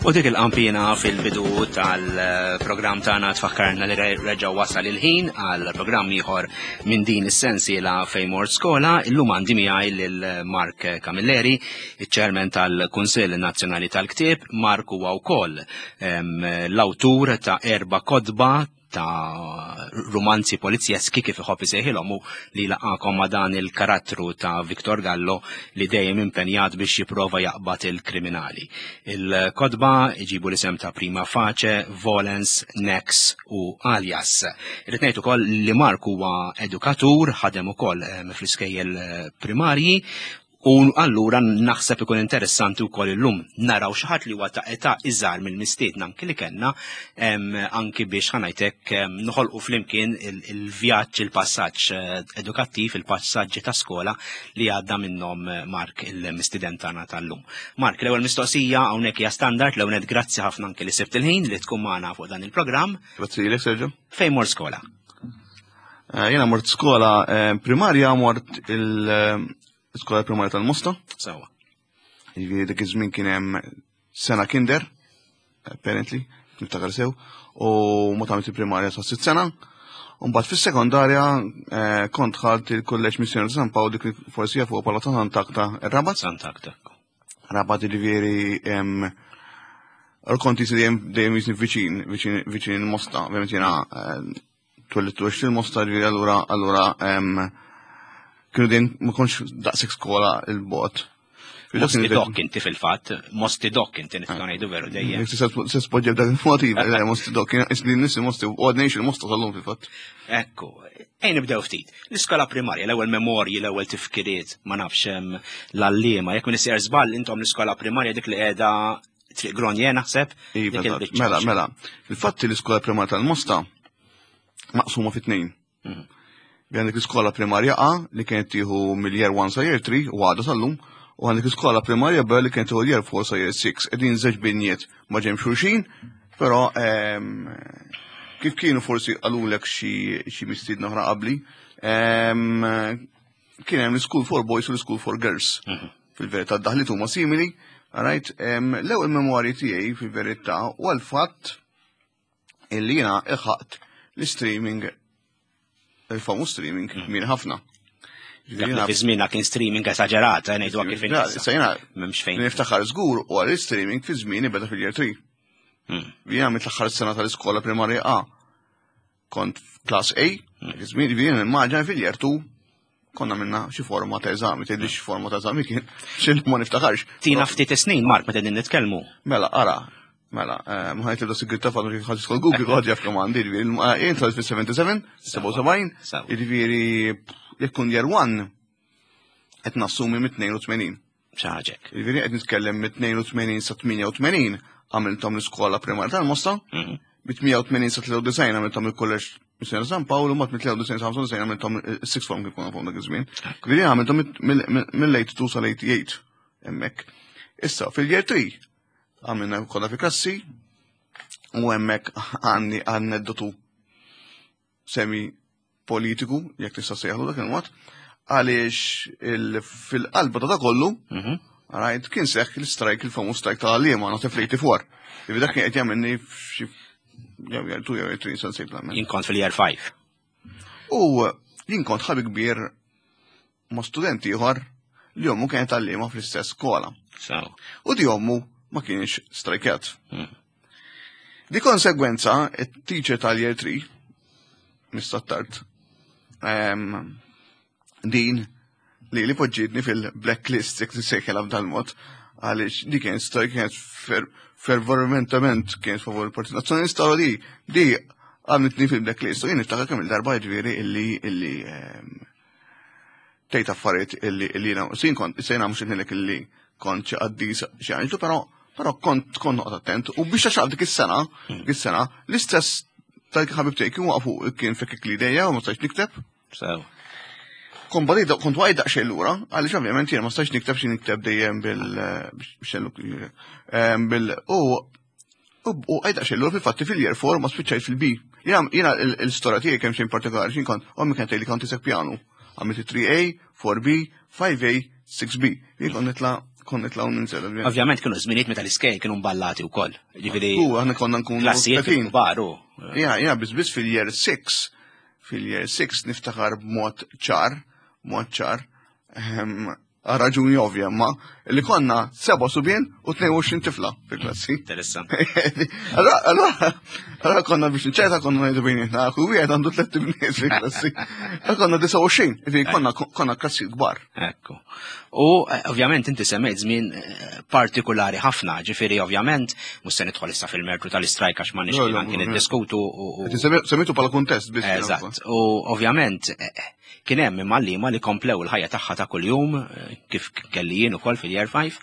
U dik il-qampina fil-bidu tal-programm tagħna tfakkarna li reġa' wasal il-ħin għal programm ieħor minn din is-sensiela fejn mort skola. Illum għandi miegħi lil Mark Camilleri, iċ-Chairman tal-Kunsill Nazzjonali tal-Ktieb. Mark huwa wkoll l-awtur ta' erba' kotba ta' rumanzi polizjeski kif iħobb isejħilhom u li laqakom ma' dan il-karattru ta' Victor Gallo li dejjem impenjat biex jipprova jaqbad il-kriminali. Il-kotba iġibu l-isem ta' Prima Face, Volens, Nex u Alias. Irrid ngħid ukoll li Mark huwa edukatur, ħadem ukoll eh, fl-iskejjel eh, primarji U allura naħseb ikun interessanti wkoll illum naraw xi ħadd li huwa ta' età iżgħar mill-mistiedna anki li kellna anki biex ħanajtek noħolqu flimkien il-vjaġġ, il-passaġġ eh, edukattiv, il-passaġġi ta' skola li għadda minnhom eh, Mark il-mistiden tagħna tal-lum. Mark, l-ewwel mistoqsija hawnhekk hija standard, l-ewwel grazzi ħafna anki li sibt il-ħin li tkun magħna fuq dan il-programm. Grazzi lilek Sergio. Fejn mort skola? Eh, jiena mort skola primarja mort il- Iskola primarja tal-Mosta. Sawa. Jiġifieri dak iż-żmien kien hemm sena kinder, apparently, niftakar sew, u ma tagħmel il-primarja sa sitt sena. U mbagħad fis-sekondarja eh, kont ħadt il-Kulleġġ Missjoni San Pawl dik forsi jafu bħala ta' Sant'Akta ir-Rabat. Sant'Akta. Rabat jiġifieri kont jisni dejjem jisni viċin, viċin, viċin il-Mosta, ovvjament jiena eh, twellidt u għext il-Mosta ġifieri allura allura kienu dejjem ma kontx daqshekk skola il-bot. Mosti dok inti fil-fatt, mosti dok inti nistgħu ngħidu veru dejjem. Se spoġġa b'dak il-mod iva, eh, mosti dok, isni nisi mosti u għadna il-mosta tal-lum fil-fatt. Ekku, ejn nibdew ftit. L-iskola primarja, l-ewwel memorji, l-ewwel tifkiriet, ma nafx l-għalliema, jekk min isir żball intom l-iskola primarja dik li qiegħda Triq Gronje naħseb. Iva, mela, mela. Il-fatti l-iskola primarja tal-Mosta maqsuma fit tnejn. Mhm. Għandek l-iskola primarja A li kienet tieħu mill-year 1 sa year 3 u għadha sal-lum, u għandek l-iskola primarja B li kienet tieħu year 4 sa year 6. Qegħdin żewġ binjiet ma ġemx xulxin, però ehm, kif kienu forsi qalulek xi mistiedna oħra qabli, ehm, kien hemm l-School for Boys u l-School for Girls. Mhm. Fil-verità daħlit huma simili, right? L-ewwel memorji tiegħi fil-verità u għal-fatt illi jiena ilħaqt l-streaming il-famu streaming mhm. min ħafna. Fi żmienha kien streaming esaġerat, eh, ngħidu kif Issa jiena m'hemmx fejn. Niftakar żgur u għal streaming fi żmieni beda fil-year 3. Hmm. Jiena mit-aħħar sena tal-iskola primarja A. Kont class A, żmien ġifieri nimmaġina fil-year 2 konna minna xi forma ta' eżami, tgħidli xi forma ta' eżami kien, xi ma niftakarx. Tina ftit snin, Mark, meta din nitkellmu. Mela, ara, mela, eh, ma ħajt tibda sigrit ta' fadlu kif ħadd skol Google għad jaf kemm għandi, ġifieri, eh, jien tgħid fis-77, 77, jiġifieri jekk kun year 1 qed nassumi mit-82. ċaġek. Jiġifieri qed nitkellem mit-82 sa 88 għamilthom l-iskola primarja tal-Mosta, mhm. mit-88 sa 93 għamilthom il-kolleġġ Missjoni San Pawl u mat mit-93 sa 95 għamilthom is-sixth form kif konna dak iż-żmien. Jiġifieri għamilthom mill-82 sa l-88 hemmhekk. Issa fil-year 3 għamilna kollha fi klassi u hemmhekk għandi aneddotu semi politiku, jekk tista' sejħlu dak il-mod, għaliex fil-qalba ta' kollu, mhm. rajt kien seħħ l-strajk, il-famuż strajk ta' għalliema, not fl-84. Ivi dak kien qed jagħmilni f'xi jew jew tu jew tri san sejt Jien kont fil-year 5. U jien kont ħabi kbir ma' student ieħor li ommu kienet għalliema fl-istess skola. U di ommu ma kienx strajkjat. Hmm. Di konsegwenza, it-teacher tal-year 3, Mr. Tart, din li li poġġietni fil-blacklist, jek t-sejħela b'dal-mod, għaliex di kien strajk kienet fervormentament kien favur il-Partit Nazzjonalista u di di għamlitni fil-blacklist u jien niftakar kemm il-darba ġifieri illi illi tgħid affarijiet illi illi jiena sin kont sejna mhux ngħidlek illi kont xi qaddis xi anġlu, però però kont kont noqgħod attent u biex għax dik is-sena, hmm. dik is-sena, l-istess tal-ħabib tiegħi kien waqfu kien fekk li dejja u ma stajtx nikteb. Sew. Kont badej kont waqgħid daqsxejn lura, għaliex ovvjament jiena ma stajtx nikteb xi nikteb dejjem bil bil u U għajda xellu fil-fatti fil-year 4 ma spiċċajt fil-B. Jena l-istorja tiegħi kemm xejn partikolari x'in kont, ommi kienet tgħidli kont isek pjanu. Għamilt 3A, 4B, 5A, 6B. Jien kont nitla' Kont nitla' u ninżel. Ovvjament kienu żminijiet meta l-iskejjel kienu mballati wkoll. Ġifieri. U aħna konna nkunu klassijiet kbar u. Ja, ja, biss biss fil-year 6, fil-year 6 niftakar b'mod ċar, mod ċar, ehm, għal raġuni ovvja, ma li konna seba subien u 22 tifla fil-klassi. Interessanti. Allora konna biex nċerta konna ngħidu bejnietna, kull wieħed għandu tliet ibniet fil-klassi. Konna 29, ġifieri konna konna klassi kbar. Ekku. U eh, ovvjament inti semmejt żmien eh, partikulari ħafna, ġifieri ovvjament mhux se nidħol issa fil-mertu tal-istrajk għax ma nixtieq anki niddiskutu. Semmejtu bħala kuntest biss. Eżatt. U ovvjament eh, Kien hemm imma għalliema li komplew il-ħajja tagħha ta' kuljum kif kelli jien ukoll fil-year 5.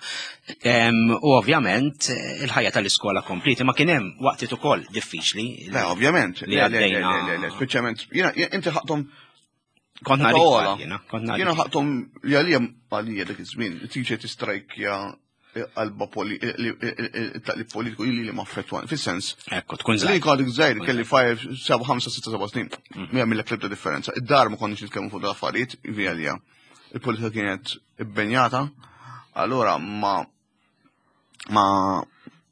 U ovvjament il-ħajja tal-iskola kompliet, imma kien hemm waqtiet ukoll diffiċli. Le, ovvjament. Li għaddejna. Le, le, speċjalment, jiena inti ħaqthom Kont nara jiena, kont nara. Jiena ħaqthom li għalija għalija dak iż-żmien, teacher tistrajkja qalba taqlib politiku li li ma affettwani, fis-sens. Ekku, tkun żgħir. Li kont żgħir kelli 5, 7, 5, 6, 7 snin. Ma jagħmillek l-ebda differenza. Id-dar ma konniex nitkellmu fuq l-affarijiet, għalija. Il-politika kienet ibbenjata, allura ma ma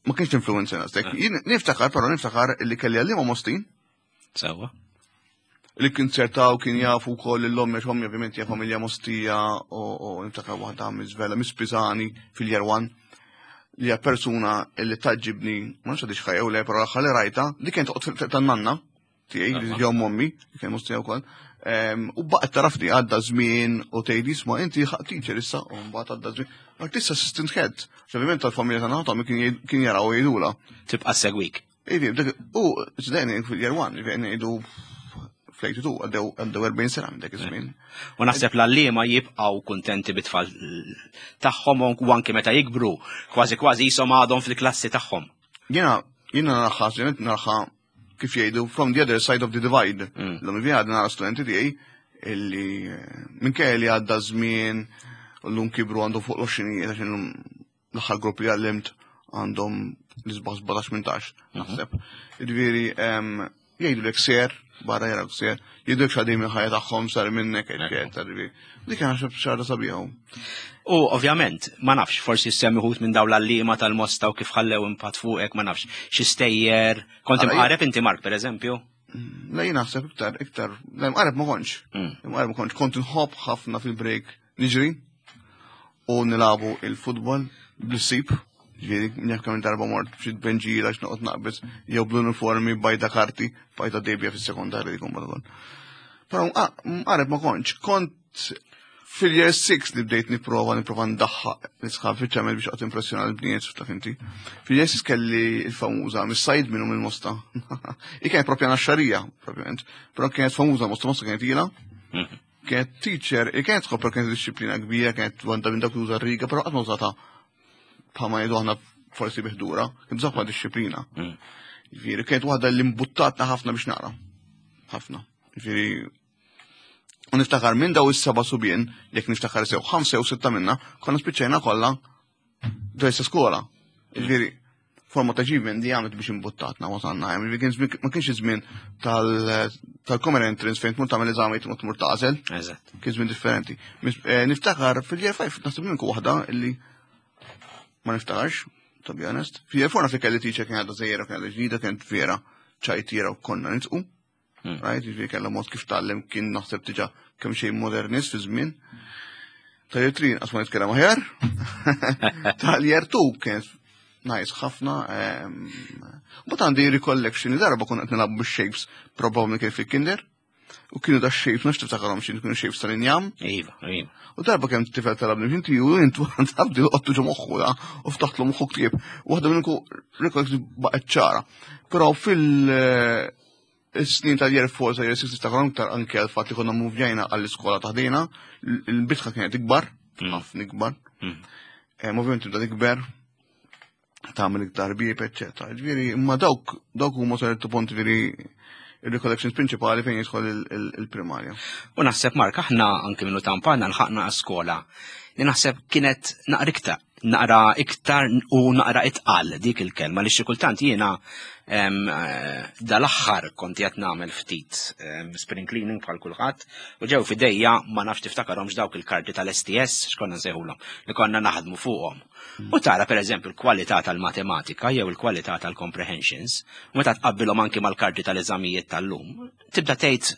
ma kienx influenza nastek. Eh. Niftakar, però niftakar li kelli għallima Mostin. Sewa. Li kien ċertaw kien jafu wkoll l-ommi għax ommi ovvjament hija familja Mostija u niftakar waħda miżvela Miss Pisani fil-year one li hija persuna li taġġibni, ma nafx għadix ħajja u le, però l-aħħar li rajta, li kien toqgħod tan-nanna tiegħi li ġew mommi, li kien Mostija wkoll. U baqgħet tarafni għadda żmien u tgħid isma' inti ħaq teacher issa u mbagħad għadda żmien. Artista assistant head. Ovvjament tal-familja tagħna ta' kien jaraw jgħidula. Tibqa' segwik. Ivi, dak, u ġdejni fil-year one, ġifieri ngħidu fl-82 għaddew għaddew 40 sena minn dak iż-żmien. U naħseb l-għalliema jibqgħu kuntenti bit-tfal tagħhom u anke meta jikbru, kważi kważi jisom għadhom fil-klassi tagħhom. Jiena jiena naraħħa, ġenet naraħħa kif jgħidu from the other side of the divide. L-lum mm. għadna nara studenti tiegħi illi eh, minkejja li għadda żmien u llum kibru għandhom fuq l-20 għax illum l-aħħar grupp li għallimt għandhom l-isbaħ 17-18, mhm. naħseb. Ġifieri, jgħidu lek ser, barra jara ser, jgħidu lek xadim il-ħajja tagħhom sar minnek, eċetera. Ġifieri, dik naħseb xarra sabiħa. U ovvjament, ma nafx, forsi semmi ħut minn dawn l-għalliema tal-mosta u kif ħallew impatt fuqek, ma nafx, xi stejjer. Kont imqareb inti Mark, per eżempju? Mm, le, jien naħseb iktar, iktar, le, mqareb ma kontx. Mm. Mqareb ma kontx, kont nħobb ħafna fil-break niġri u nilabu il-futbol bl-sip, ġifieri njaf kemm darba mort b'xi tbenġila x'noqgħod naqbeż jew bl-uniformi bajda karti, bajda debja fis-sekondarja dik mbagħad. Però mqareb ma kontx, kont fil-year 6 li bdejt nipprova nipprova ndaħħaq nisħab fiċ-ċamel biex qgħod impressjona l-bniet taf inti. Fil-year 6 kelli il-famuża mis-sajd minnu mill-Mosta. I kienet propja naxxarija, propjament, però kienet famuża Mosta, Mosta kienet ilha. Mhm. Kienet teacher, kienet tħobb kienet disċiplina kbira, kienet għandha minn dak uża riga, però qatt ma użata bħalma ngħidu aħna forsi biħdura, kien bżonn disċiplina. Mm. Ġifieri kienet waħda li mbuttatna ħafna biex naqra. Ħafna. Ġifieri u niftakar minn daw is-seba' subien, jekk niftakar sew ħamsa jew sitta minna, konna spiċċajna kollha ġejsa skola. Ġifieri forma ta' achievement li għamlet biex imbuttatna wasanna. Ma kienx iż-żmien tal-common entrance fejn tmur tagħmel eżami tmur tmur tagħżel. Eżatt. Kien żmien differenti. Eh, niftakar fil-year 5 naħseb minn waħda illi ma niftakarx, to be honest. Fil-year 4 naf li kelli teacher kien għadha żejjera kien għadha ġdida kien vera ċajtira u konna nitqu. Hmm. Right, ġifieri kellha mod kif tgħallem kien naħseb diġà kemm xejn modernist fi żmien. Tal-year 3 qatt ma nitkellem aħjar. Tal-year 2 kien nice ħafna. Ehm, Mbagħad għandi recollection li darba konna qed nilagħbu bix-shapes probabbli kien fil-kinder. U kienu da shapes, nafx tiftakarhom xi kienu shapes tal-injam. Iva, iva. U darba kemm tifel talabni inti u intu għabdi qottu ġo moħħu da u ftaħtlu moħħu ktieb. Waħda minnku recollection baqgħet ċara. Però fil- Is-snin tal-year 4 sa year 6 niftakar iktar anke għal fatt li konna muvjajna għall-iskola taħdina, il-bitħa kienet ikbar, mm. ħafna ikbar. Mm. Eh, ovvjament tibda tikber, tagħmel iktar bieb, eċċetera. Ġifieri, imma dawk dawk huma ċertu punt ġifieri il-recollections prinċipali fejn jidħol il-primarja. U naħseb Mark, aħna anke minnu tampana l-ħaqna skola li naħseb kienet naqrikta. Naqra iktar u naqra itqal dik il-kelma li xi kultant jiena eh, dal-aħħar kont qed nagħmel ftit spring cleaning bħal kulħadd u ġew fidejja ma nafx tiftakarhomx dawk il-karti tal-STS x'konna nsejħulhom li konna naħdmu fuqhom. U tara pereżempju l-kwalità tal-matematika jew il-kwalità tal-comprehensions, u meta tqabbilhom anki mal-karti tal-eżamijiet tal-lum, tibda tgħid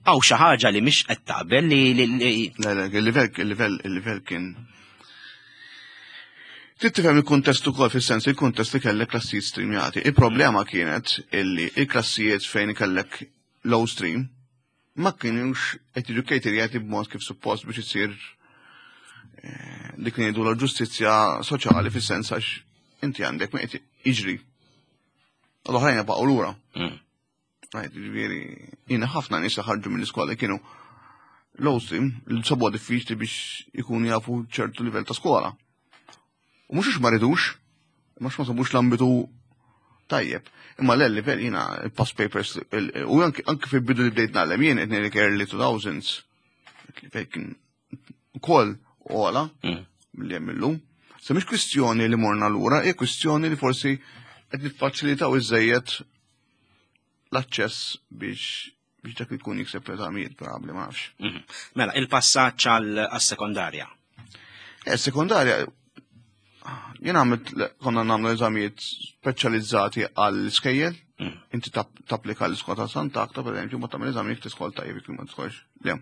Għaw xi ħaġa li mhix qed taqbel li li Le, le, il-livell, il-livell, il-livell kien. Trid tifhem il-kuntest ukoll fis-sens il-kuntest li kellek klassijiet streamjati. Il-problema kienet illi il-klassijiet fejn kellek low stream ma kienux qed jiġu caterjati b'mod kif suppost biex isir eh, dik li ngħidu l-ġustizzja soċjali fis-sens għax inti għandek ma qed jiġri. L-oħrajn baqgħu lura. Ġifieri, jiena ħafna nies ħarġu mill-iskola kienu low stream, li sabuha diffiċli biex ikunu jafu ċertu livell ta' skola. U mhux għax ma ridux, imma ma sabux l-ambitu tajjeb. Imma l livell jiena il-past papers, u anki fil-bidu li bdejt nagħlem jien qed ngħidlek early 2000s, livell kien ukoll ogħla mm. milli hemm illum. Se mhix kwistjoni li morna lura, hija kwistjoni li forsi qed niffaċilitaw iżejjed l-aċċess biex biex dak li jkun jikseb eżamijiet probabbli ma nafx. Mhm. Mela, il-passaġġ għal-sekondarja. Eh, sekondarja, jien għamilt konna nagħmlu eżamijiet speċjalizzati għall-iskejjel, mm. inti tapplika l-iskola ta' Sant'Akta, per eżempju, ma tagħmel eżamijiet l-iskola tajjeb jekk ma tħoġ. Le.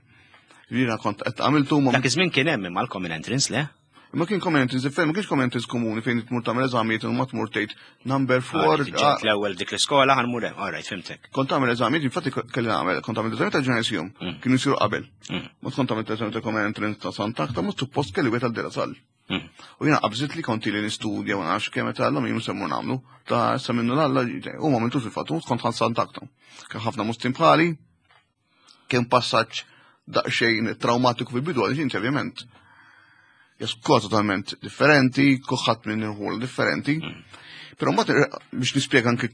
Jiena kont qed għamiltu ma. Dak iż-żmien kien hemm imma l-common entrance, le? Ma kien common entrance differenti, ma kienx common entrance komuni fejn tmur tagħmel eżamijiet u ma tmur tgħid number 4. Ah, l-ewwel dik l-iskola ħanmur hemm, all right, fimtek. Kont tagħmel eżamijiet, infatti kelli nagħmel, kont tagħmel eżamijiet ta' ġenesium, mm. kienu jsiru qabel. Mm. Ma kont tagħmel eżamijiet ta' common entrance ta' Sant'Akta, ma suppost kelli wieħed għal Sal. Mm. U jiena qabżit li konti li nistudja ma nafx kemm meta l-lum jien semmu nagħmlu, ta' sa minnu l-alla u ma għamiltux fil-fatt, kont ħan Sant'Akta. Kien ħafna mustin bħali, Kien passaġġ daqsxejn traumatiku fil-bidu għaliex inti ovvjament jaskol totalment differenti, kuħat minn irħul differenti. Mm. Però mbagħad biex nispjega anke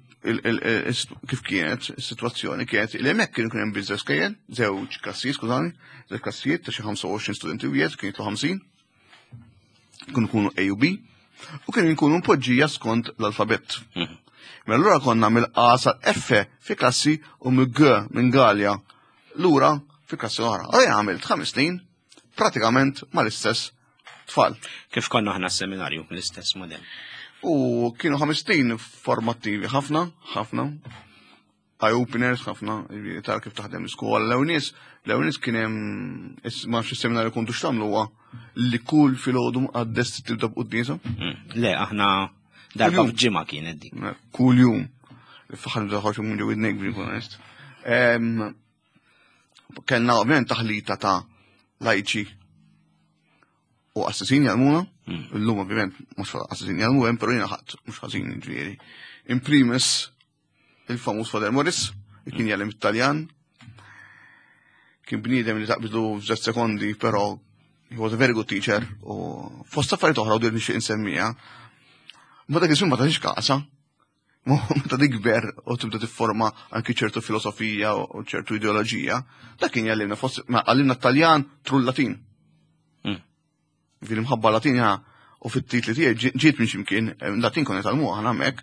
kif kienet is-sitwazzjoni kienet li hemmhekk kienu kien hemm biżżejjed skejjel, żewġ klassijiet, skużani, żewġ klassijiet ta' xi 25 studenti wieħed kien jitlu 50. Kienu kunu A u B u kienu jkunu mpoġġija skont l-alfabett. Mhm. Mela allura konna mill-A sa F fi klassi u mill G minn Galja lura fi klassi oħra. Għalija għamilt ħames snin pratikament mal-istess tfal. Kif konna aħna s-seminarju, l-istess modell. U kienu ħames snin formattivi ħafna, ħafna. Eye-openers ħafna, jiġifieri tara kif taħdem l-iskola. L-ewwel l-ewwel kien hemm ma nafx is-seminarju kontu x'tagħmlu huwa li kull filgħodu mqaddes tibda b'quddiesa. Mm. Le, aħna darba f'ġimgħa kienet dik. Kull jum. Faħar nżaħħax minn ġew id-nejk biex nkun onest. Kellna ovvjament taħlita ta' lajċi u qassisin jgħallmuna, mm. illum ovvjament mhux qassisin jgħallmu hemm, però jiena ħadd mhux ħażin ġifieri. In primis il-famuż Father Morris, li kien jgħallem it-Taljan. Kien bniedem li taqbdu f'żewġ sekondi, però he was a very good teacher u fost affarijiet oħra u dir nixtieq insemmija. Ma dak iż-żmien ma tagħtix kasa. Meta tikber u tibda tifforma anki ċertu filosofija u ċertu ideoloġija, dak kien jgħallimna fost għallimna t-Taljan tru l-Latin. Hmm. Fil-imħabba Latina u fit-titli tiegħi ġiet minn ximkien, eh, Latin konna talmu aħna hemmhekk.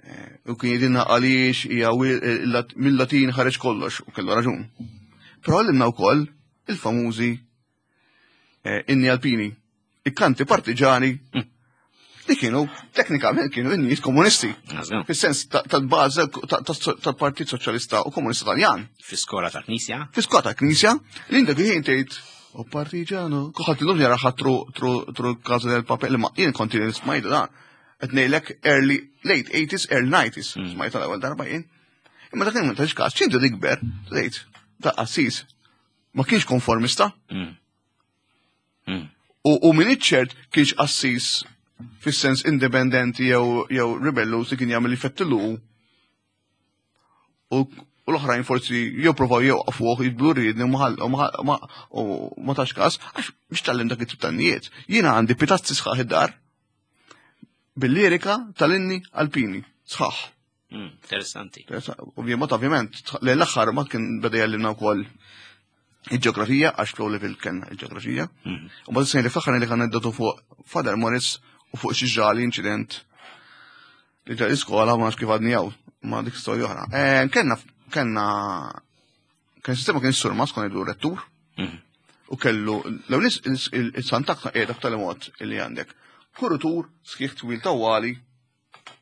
Eh, u kien jgħidilna għaliex hija eh, mill-Latin ħareġ kollox u kellu raġun. Però għallimna wkoll il-famużi inni alpini, il-kanti partiġani mm. li kienu teknikament kienu in-nies komunisti. Fis-sens tal-bażi tal-Partit Soċjalista u Komunista Taljan. Fi-skola tal-Knisja? Fi-skola tal-Knisja, li inta kien tgħid u partiġano, kuħat l-lum jara tru tru tru kaza del papel, ma jien konti smajt dan. Qed ngħidlek early late 80s, early 90s, mm. smajt l-ewwel darba jien. Imma dak ma tax każ, ċintu dikber, tgħid, ta' qassis, ma kienx konformista. Mm. Mm. U min iċ-ċert kienx qassis fis-sens indipendenti jew jew ribellu li kien jagħmel jfettilu u l-oħrajn forsi jew provaw jew qafuh jidblu riedni u ma tax każ għax biex tgħallem dak it-tip tan-nijiet. Jiena għandi pitazzi sħaħ id-dar bil-lirika tal-inni alpini sħaħ. Mm, interessanti. Ovvijament, ovvjament, l-aħħar ma kien beda jgħallimna wkoll. Il-ġeografija, għax fl level kellna il-ġeografija. U bad sejn li fl-aħħar li kan aneddotu fuq Father Morris u fuq xi ġrali inċident li ġa l-iskola ma nafx kif għadni hawn, ma dik storja oħra. Eh, Kellna kellna kien sistema kien surmas kon idu rettur. U kellu l-ewwel il-Santakna qiegħda b'tali mod illi għandek kurutur sħiħ twil tawwali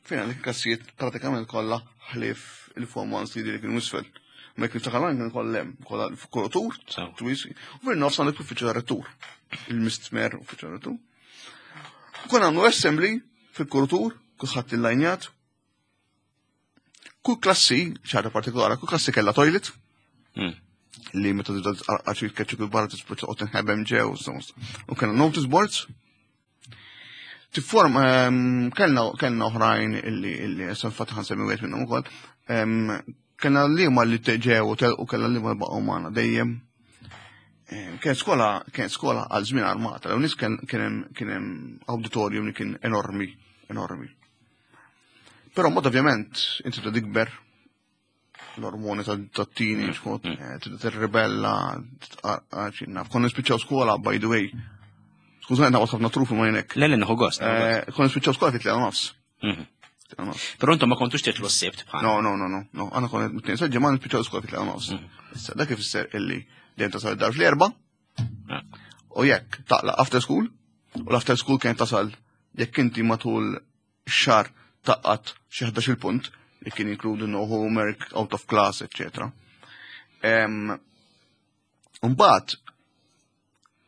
fejn għandek il-klassijiet pratikament kollha ħlief il-form 1 CD li kienu isfel. Ma jekk niftakar kien kollha hemm, kollha f'kurutur, twil, u fin-nofs għandek l-uffiċċju tar-rettur, il-mistmer uffiċċju tar-rettur. Konna għamlu assembly fil-kurutur, kulħadd il-lajnjat. Kull klassi, ċara partikolari, kull klassi kellha toilet. Li meta tibda tqarqax jitkeċċu kil barra tispiċċa toqgħod tinħebem ġew, u kellna notice boards. Tifform kellna kellna oħrajn illi illi issa fatt ħansemmi wieħed minnhom ukoll. Kellna li huma li ġew u telqu kellna li ma baqgħu magħna dejjem. Kienet skola kienet skola għal żmien armata, l nies kien hemm auditorium li kien enormi, enormi. Però mod ovvjament inti tibda tikber l-ormoni ta' teenage, kont tibda tirribella, titqarqax, naf. Konna nispiċċaw skola, by the way. Skużani, naqgħod ħafna trufi ma jenek. Le, le, nieħu gost. Konna nispiċċaw skola fit nofs. Però intom ma kontux titlu s-sibt bħal. No, no, no, no, no. Għana konna mit-tnejn sa ġimgħa nispiċċaw skola fit nofs. Issa dak ifisser illi dejjem tasal id-dar fl-erba'. U jekk taqla after school, u l-after school kien tasal jekk inti matul xar taqqat xi 11 punt li kien jinkludi no homework, out of class, etc. Mbagħad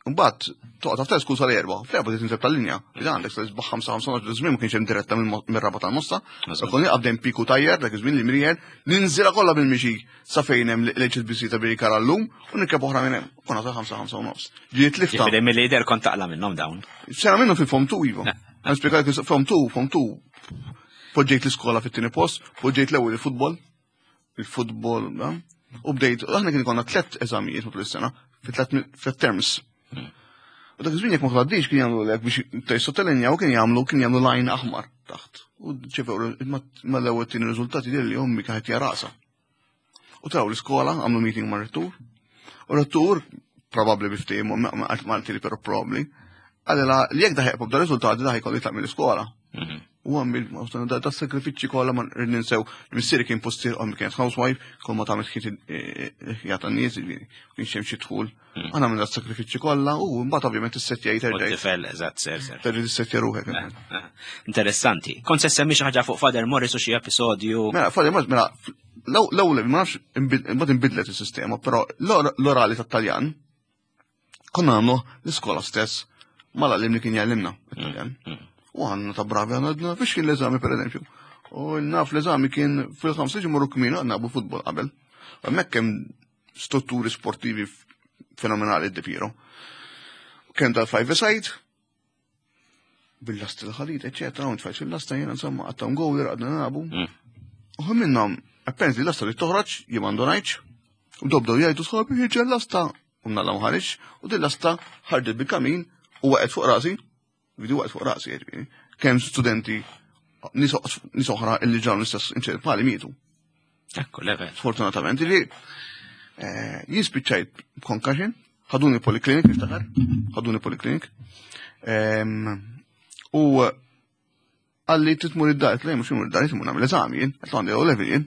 Mbagħad toqgħod after school sal-erba', fl-erba' trid tinżel tal-linja. Li għandek sal isbaħ ħamsa ħamsa nofs żmien ma kienx hemm diretta mir-raba tal-mosta. Konni qabdem piku tajjer dak iż-żmien li mrijer, ninżilha kollha bil-mixi sa fejn hemm l-HSBC ta' Birikara llum u nirkeb oħra minn hemm. Konna sa ħamsa ħamsa u nofs. Ġiet lifta. Ġifieri mill-lider kont taqla' minnhom dawn. Sena minnhom fil-form 2 iva. Nispjega form 2, form 2. Poġġejt l-iskola fit-tieni post, poġġejt l-ewwel il-futbol, il-futbol, u bdejt, aħna kien konna tlet eżamijiet matul is-sena, fi tlet terms. U dak iż-żmien jekk ma tgħaddix kien jagħmlu lek biex tgħid u kien jagħmlu kien jagħmlu line aħmar taħt. U ċevew ma l-ewwel tieni riżultati li ommi kienet jarasa. U traw l-iskola, għamlu meeting ma' rettur. U rettur, probabli biftehim, ma qaltili però probabli, għalila li jekk daħeq b'da riżultati daħ jkollu jitlaq mill-iskola. U għamil, da sagrifiċċji kollha ma rrid ninsew, missieri kien postier ommi kienet housewife, kull ma tagħmel ħiet jagħta n-nies, jiġifieri, kienx hemm xi dħul. Għana minn da sagrifiċċji kollha u mbagħad ovvjament issettja terġa'. Tifel, eżatt, ser, ser. Terġa' tissettja ruħek. Interessanti. Kont se semmi xi ħaġa fuq Father Morris u xi episodju. Mela, Father Morris, mela, l-ewwel ma nafx imbagħad inbidlet is-sistema, però l-orali tat-Taljan konna nagħmlu l-iskola stess mal-għallim li kien jgħallimna it-Taljan. U għandna ta' bravi għandna biex kien l-eżami per eżempju. U naf l-eżami kien fil-ħamsa ġimgħu kmin għandna futbol qabel. Hemmhekk hemm strutturi sportivi fenomenali d-dipiro. Kien tal-five side, bil-lasta l-ħalid, eccetera, u tfajt fil-lasta jena, insomma, għattam gowler, għadna nabu. U minnhom, apparently l-lasta li toħroġ, jien m'għandunajċ, u dobdew jgħidu sħabi, ħirġa l-lasta, u mnalla mħarġ, u din l-lasta ħarġet bil-kamin u waqgħet fuq rasi, vidi waqgħet fuq rasi, jiġifieri. Kemm studenti nies oħra illi ġraw l-istess inċident bħali mietu. Ekku, level. Sfortunatament, li jien spiċċajt concussion, ħaduni poliklinik, niftakar, ħaduni poliklinik. U għalli titmur id-dar, għetlu mux imur id-dar, titmur nagħmel eżami jien, għetlu għandi O level jien.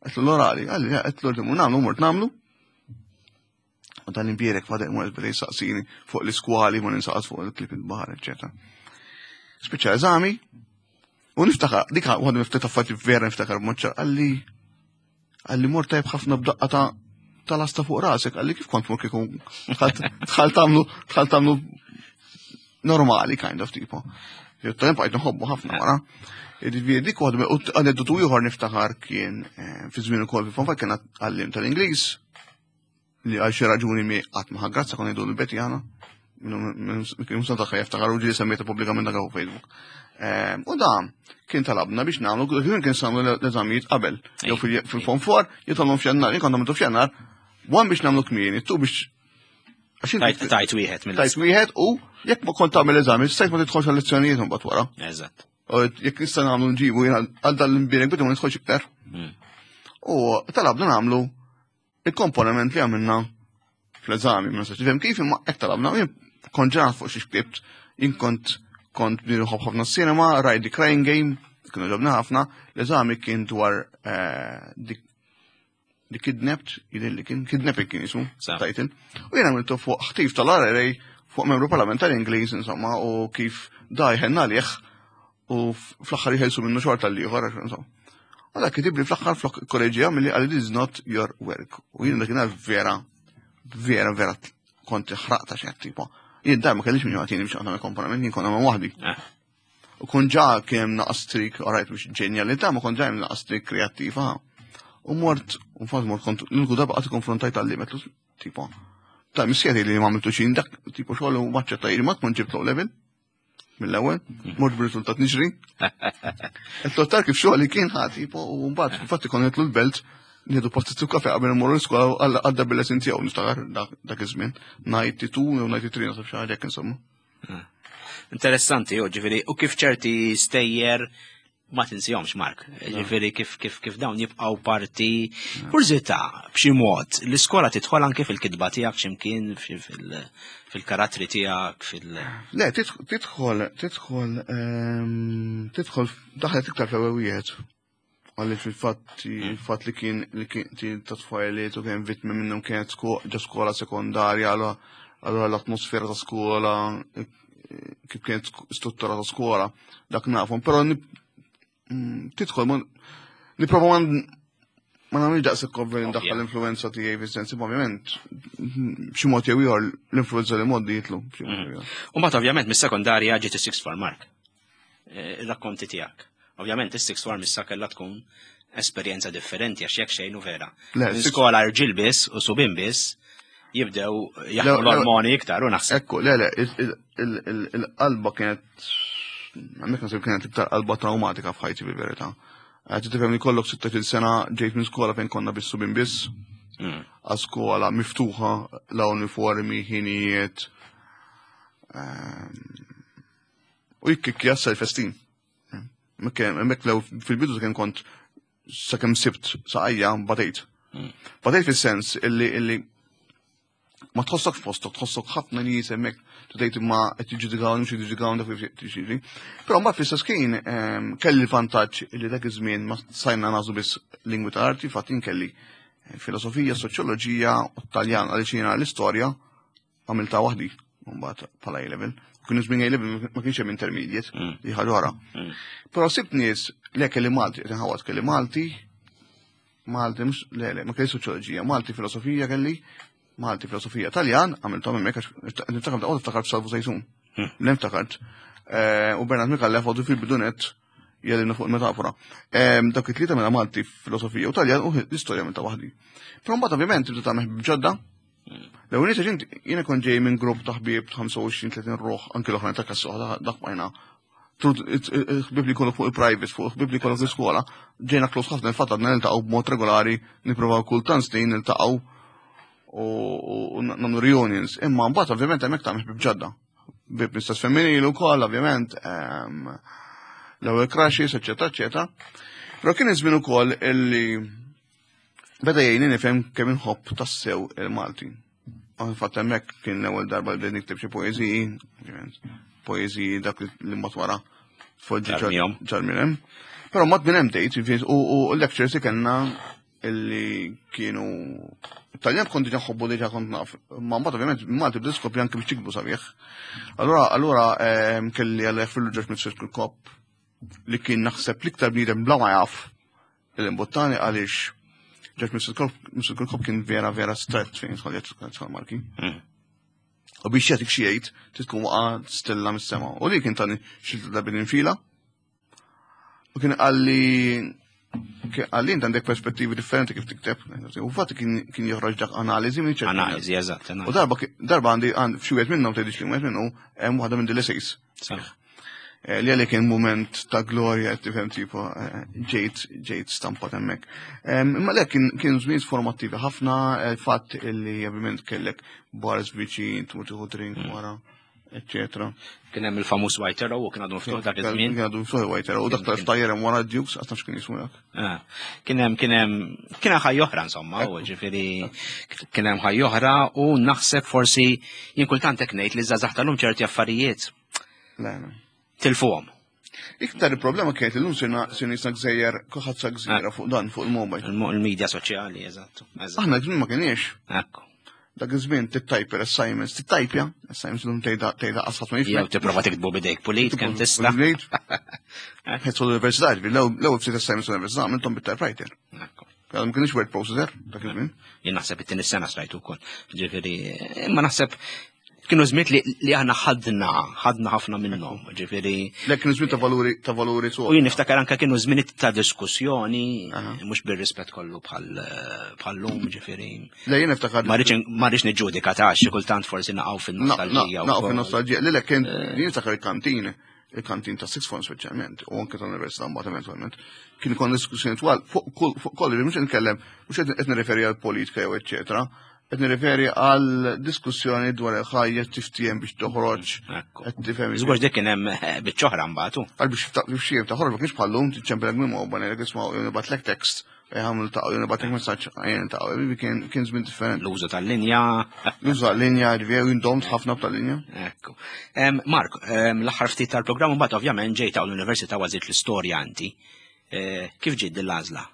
Għetlu l-orali, għalli għetlu titmur nagħmlu, mort nagħmlu. U dan imbierek fadek mort bdej saqsini fuq l-iskwali, ma ninsaqas fuq il-klip il-bahar, eccetera. Spiċċa eżami, u niftakar, dik għadu niftakar affarijiet vera niftakar b'moċċar, għalli għalli mort tajb ħafna b'daqqa ta' tal-asta fuq rasek, għalli kif kont mur kieku tħal tagħmlu tħal tagħmlu normali kind of tipo. Jottajn bqajt nħobbu ħafna wara. Jiġifieri dik waħda u aneddotu ieħor niftakar kien fi żmien ukoll fi fanfar kien għallim tal-Ingliż li għal xi raġuni mi qatt ma ħaggrazza kon jgħidu l-beti għana. Kien musa tagħha jiftakar u ġieli semmejta pubblikament dak fuq Facebook. U da kien talabna biex nagħmlu, kien kien nagħmlu l-eżamijiet qabel, jew fil-form 4, jew tagħmlu f'Jannar, jien kont nagħmlu f'Jannar, one biex nagħmlu kmieni, tu biex għax inti Tajt wieħed mill Tajt wieħed u jekk ma kont tagħmel eżami, stajt ma tidħolx għal-lezzjonijiet imbagħad wara. Eżatt. U jekk nista' nagħmlu nġibu jiena għal dan l-imbierek bidu ma nidħolx iktar. U talabna nagħmlu il-komponiment li għamilna Fl-eżami, ma nistax nifhem kif imma hekk talabna, jien kont ġenat fuq xi ktibt, jien kont kont nħobb ħafna s-sinema, rajt The Crying Game, kienu ġobna ħafna, l-eżami kien dwar eh, The Kidnapped, jidher li kien, Kidnapping kien jismu, title. U jien għamiltu fuq ħtif tal-RRA fuq membru parlamentari Ingliż, insomma, u kif da jħenna għalih u fl-aħħar jħelsu minnu xorta l-ieħor, insomma. U dak kitibli fl-aħħar flok kolleġija milli għalli this is not your work. U jien dakinhar vera, vera, vera kont ħraqta xi tipo. Jien dar ma kellix min jagħtini biex nagħmel komponament, jien kont nagħmel waħdi. Eh. U kun ġa kien naqas trik, alright, mhux ġenjalità, ma kont ġa hemm naqas trik kreattiva. U mort, u fatt mort kont l-uniku darba qatt konfrontajt għalli metlu tipo. Ta' missieri li ma għamiltu xin dak tipo xogħol u maċċetta ma tkun ġibt low level mill-ewwel, mort b'riżultat niġri. Qed kif xogħol kien ħa tipo u mbagħad infatti kont nitlu l-belt nieħdu pastizzu kafe qabel immorru l-iskola għadda bil-lesin tiegħu niftakar dak iż-żmien. 92 jew 93 nasab xi ħaġa hekk insomma. Ah. Interessanti, u ġifieri, u kif ċerti stejjer ma tinsihomx Mark. Ġifieri kif kif kif dawn jibqgħu parti kurżità b'xi mod l-iskola tidħol anke fil-kitba tiegħek x'imkien fil-karattri tiegħek fil Le, tidħol tidħol ehm, tidħol daħlet iktar fl-ewwel wieħed. Għalli fil-fatt il-fatt li kien li kien ta' tfajliet u kien vittmi minnhom kienet ġo skola sekondarja, allura l-atmosfera ta' skola, eh, kif kienet struttura ta' skola, dak nafhom, però mm, tidħol ma nipprova ma ma nagħmilx daqshekk ovvja li ndaħħal l-influenza tiegħi fis-sens, ovvjament b'xi mod jew ieħor l-influenza li moddi jitlu. Mm. U mbagħad ovvjament mis-sekondarja ġiet is-sixth form mark. Eh, ir-rakkonti tiegħek. Ovvjament is-sixth form issa kellha tkun esperjenza differenti għax jekk xejn u vera. Skola rġil biss u subin biss jibdew jaħdmu l-ormoni iktar u naħseb. Ekku, le, le, il-qalba kienet, għamek nasib kienet iktar qalba traumatika f'ħajti bil-verità. Għad tifhem li kollok 16 sena ġejt minn skola fejn konna biss subin biss. Mm. Għal skola miftuħa la uniformi, ħinijiet. Ehm, U jikkikkja self-esteem. Hemmhekk lew fil-bidu kien kont sakemm sibt saqajja batejt. Hmm. Batejt fis-sens illi illi ma tħossok f'postok, tħossok ħafna nies hemmhekk tgħid imma qed jiġġudikaw mhux jiġġudikaw dak li Però mbagħad fl-istess kien ehm, kelli l-vantaġġ li dak iż-żmien ma sajna nażu biss lingwi ta' arti, fatt kelli filosofija, soċjoloġija u Taljan għaliex jiena l-istorja għamilta waħdi mbagħad bħala A-level. Kien żmien A-level ma kienx hemm intermediate mm. li ħaġa oħra. Mm. Però sibt nies le kelli Malti, qed inħawad kelli Malti, Malti mhux le le ma kelli soċjoloġija, Malti filosofija kelli, Malti filosofija Taljan, għamilthom hemmhekk għax niftakar daqgħod niftakar f'Salvu Sejsun. Mm. Niftakart. Eh, u Bernard Mikallef għadu fil-bidunet jgħallimna fuq il-metafora. Dak it-tlieta mela Malti filosofija u Taljan u l-istorja minn ta' waħdi. Però mbagħad ovvjament tibda tagħmel ġodda. L-ewwel nies ġint jiena kont ġej minn grupp ta' ħbieb 25-30 ruħ anke l-oħrajn ta' kassu dak bajna. Ħbieb li kollok fuq il-private, fuq ħbieb li kollok l-iskola, ġejna close ħafna il-fatt għadna niltaqgħu b'mod regolari, nippruvaw kultant snin niltaqgħu u nagħmlu reunions. Imma mbagħad ovvjament hemmhekk tagħmel ħbieb ġodda. Ħbieb mistess femminili wkoll ovvjament, l-ewwel crushes, eċetera, eċetera. Però kien iż-żmien ukoll illi Beda jgħinni nifhem kemm inħobb tassew il-Malti. Fatt hemmhekk kien l-ewwel darba li bdejt nikteb xi poeżiji, poeżiji dak li mbagħad wara tfoġġi ġar minn hemm. Però mbagħad minn hemm bdejt, u lectures li kellna illi kienu Taljan kont diġa ħobbu diġa kont naf, ma mbagħad ovvjament Malti bdiet skopri anke biex tikbu sabiħ. Allura allura ehm, kelli għal fil-ġoġ mit Kop li kien naħseb l-iktar bniedem bla ma jaf Il-imbuttani għaliex ġek Mr. Kirkhope kien vera vera strett fejn jidħol jidħol marki. Hmm. U biex jagħtik xi jgħid trid tkun waqa' stella mis-sema. U li kien tani xi darbi infila. U kien qalli għalli int għandek perspettivi differenti kif tikteb. U fatt kien joħroġ dak analiżi minn ċertu. Analiżi, eżatt. U darba darba għandi f'xi wieħed minnhom tgħidix li wieħed minnu hemm waħda minn dil-essays. Eh, li għalli kien moment ta' glorja, tifhem tipo eh, ġejt ġejt stampat hemmhekk. Imma le kien kien żmien formattivi ħafna, eh, fatt illi ovvjament kellek bars viċin, tmur tieħu drink mm. wara. eccetera. Kien hemm il-famuż White Arrow u kien għadu miftuħ dak iż-żmien. Kien għadu miftuħ White Arrow u dak tal-ftajjer hemm wara Dukes qatt nafx kien jismu dak. Ah, kien hemm kien hemm kien hemm ħajja oħra insomma, u ġifieri kien hemm ħajja oħra u naħseb forsi jien kultant hekk ngħid li żgħażagħ tal-lum ċerti affarijiet. Tilfuhom. Iktar il-problema kienet illum sirna sirna jisna gżejjer, kulħadd sa gżira fuq dan fuq il-mobile. Il-media soċjali, eżattu. Aħna żmien ma kienx. Ekku. Dak iż-żmien tittajper assignments, tittajpja, assignments illum tgħidha tgħidha qasħat ma jifhem. Jew tipprova tiktbu bidejk pulit kemm tista'. Ħedsu l-università, l-ewwel ftit assignments l-università għamilthom bit-typewriter. Ekku. Ma kienx word processor dak iż-żmien. Jien naħseb it-tieni sena stajtu wkoll. Ġifieri, imma naħseb kienu żmiet li, li aħna ħadna, ħadna ħafna minnhom, ġifieri. Le kienu żmien ta' valuri ta' valuri su. U jien niftakar anke kienu żmien ta' diskussjoni, mhux bir-rispett kollu bħal bħallum, ġifieri. Le jien niftakar. Ma rridx niġġudika ta' xi kultant forsi naqgħu fin-nostalġija. Naqgħu fin-nostalġija. Le le kien eh. jien niftakar il-kantin il-kantin ta' Six Form speċjalment, u anke tal-Università mbagħad eventwalment, kien ikun diskussjoni twal fuq kollu mhux nitkellem mhux qed nirreferi għal politika jew eċċetera, qed nirreferi għal diskussjoni dwar il-ħajja tiftiem biex toħroġ. Qed tifhem. Żgur dik kien hemm eh, biċċoħra mbagħad. Għal biex biex toħroġ ma kienx bħallum tiċċempel minn mobile ngħidlek isma' jew nibatlek text għamlu ta' jew nibatlek messaġġ għajn ta' kien kien żmien differenti. L-użu tal-linja. L-użu tal-linja, ġifieri indomt ħafna tal-linja. Ekku. Mark, l-aħħar ftit tal-programm mbagħad ovvjament ġejt l-università għażilt l-istorja inti. Eh, kif ġiet din l-għażla?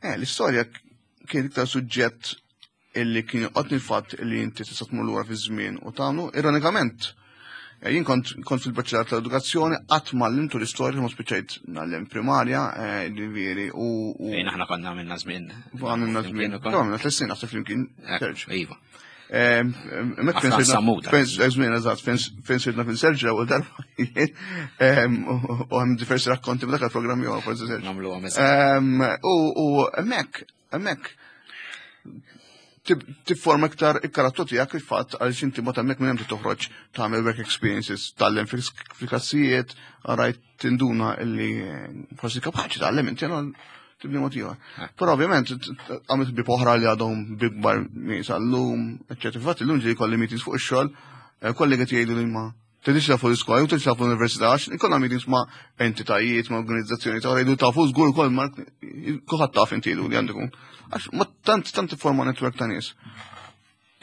Eh, l-istorja kien iktar suġġett illi kien joqgħodni l-fatt illi inti tista' tmur lura fiż-żmien u tagħmlu. Ironikament, eh, jien kont kont fil-Baċċerat tal-Edukazzjoni qatt m'għallimtu l-istorja ma spiċċajt ngħallem primarja, eh, ġifieri u. Fejn aħna konna għamilna żmien. Għamilna żmien. Għamilna tliet snin naħseb flimkien. Iva. Mek fejn sirna, żmien eżatt, fejn sirna fil serġa u darba u hemm diversi rakkonti b'dak il-programm jew forsi serġa. Nagħmlu U hemmhekk, hemmhekk tifforma iktar il-karattru tiegħek il-fatt għaliex inti ma hemmhekk minn hemm toħroġ tagħmel work experiences, tgħallem fil-klassijiet, rajt tinduna illi forsi kapaċi tgħallem inti tibni mod ieħor. Eh. Però ovvjament għamilt bi oħra li għadhom bikbar sal-lum, eċċetera. Fatt illum ġej kolli meetings fuq ix-xogħol, eh, kollegi jgħidu li ma tridx tafu l-iskola, jew tridx tafu l-università, għax ikollna meetings ma' entitajiet, ma' organizzazzjoni ta' jgħidu tafu żgur ukoll ma' kulħadd taf inti li għandu Għax ma tant tant forma netwerk ta' nies.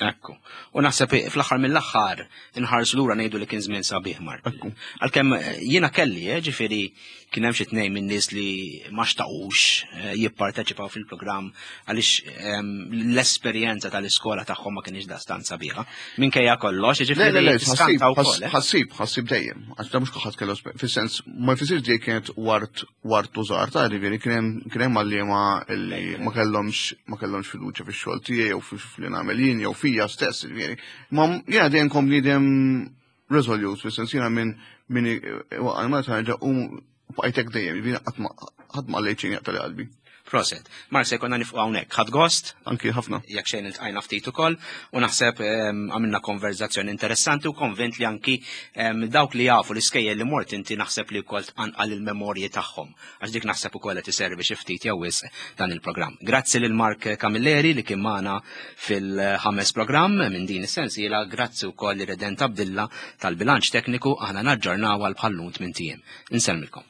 Ekku. U naħseb fl-aħħar mill-aħħar inħarsu lura ngħidu li kien żmien sabiħ Mark. Għalkemm eh, jiena kelli, eh, ġifieri kien hemm xi tnejn minn nies li ma xtaqux eh, jipparteċipaw fil-programm għaliex ehm, l-esperjenza tal-iskola tagħhom ma kienx dastan sabiħa. Minkejja kollox, ġifieri ħassib, ħassib dejjem, għax da mhux kulħadd kellu fis-sens ma jfissirx dejjem kienet wart wart użar ta' ġifieri kien hemm għalliema li ma kellhomx ma kellhomx fiduċja fix-xogħol tiegħi jew fil nagħmel jien jew fija stess ġifieri. Ma jiena dejjem kont bniedem resolute fis-sens jiena minn minn waqgħal ma tarġa' u bqajtek dejjem, ġifieri qatt ma lejt xejn jaqta' li qalbi. Proset. Mark se jkollna nifqu hawnhekk. Ħadd gost? Anki ħafna. Jekk xejn iltqajna ftit ukoll u naħseb ehm, għamilna konverzazzjoni interessanti u konvint li anki ehm, dawk li jafu l-iskejjel li mort inti naħseb li wkoll tqanqal il-memorji tagħhom għax dik naħseb ukoll qed iservi xi ftit jew wisq dan il-programm. Grazzi lil Mark Camilleri li kien magħna fil-ħames programm minn din is-sensiela, grazzi wkoll li Redent Abdilla tal-bilanċ tekniku aħna naġġornaw għal bħallum tmien Insellmilkom.